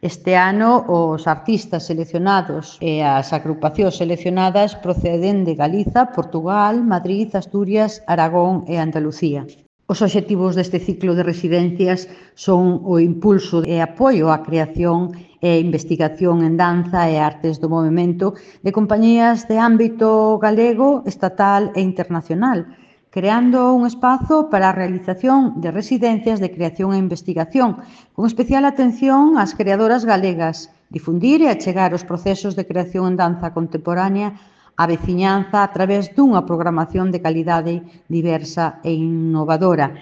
Este ano, os artistas seleccionados e as agrupacións seleccionadas proceden de Galiza, Portugal, Madrid, Asturias, Aragón e Andalucía. Os obxectivos deste ciclo de residencias son o impulso e apoio á creación e investigación en danza e artes do movemento de compañías de ámbito galego, estatal e internacional, creando un espazo para a realización de residencias de creación e investigación, con especial atención ás creadoras galegas, difundir e achegar os procesos de creación en danza contemporánea á veciñanza a través dunha programación de calidade diversa e innovadora.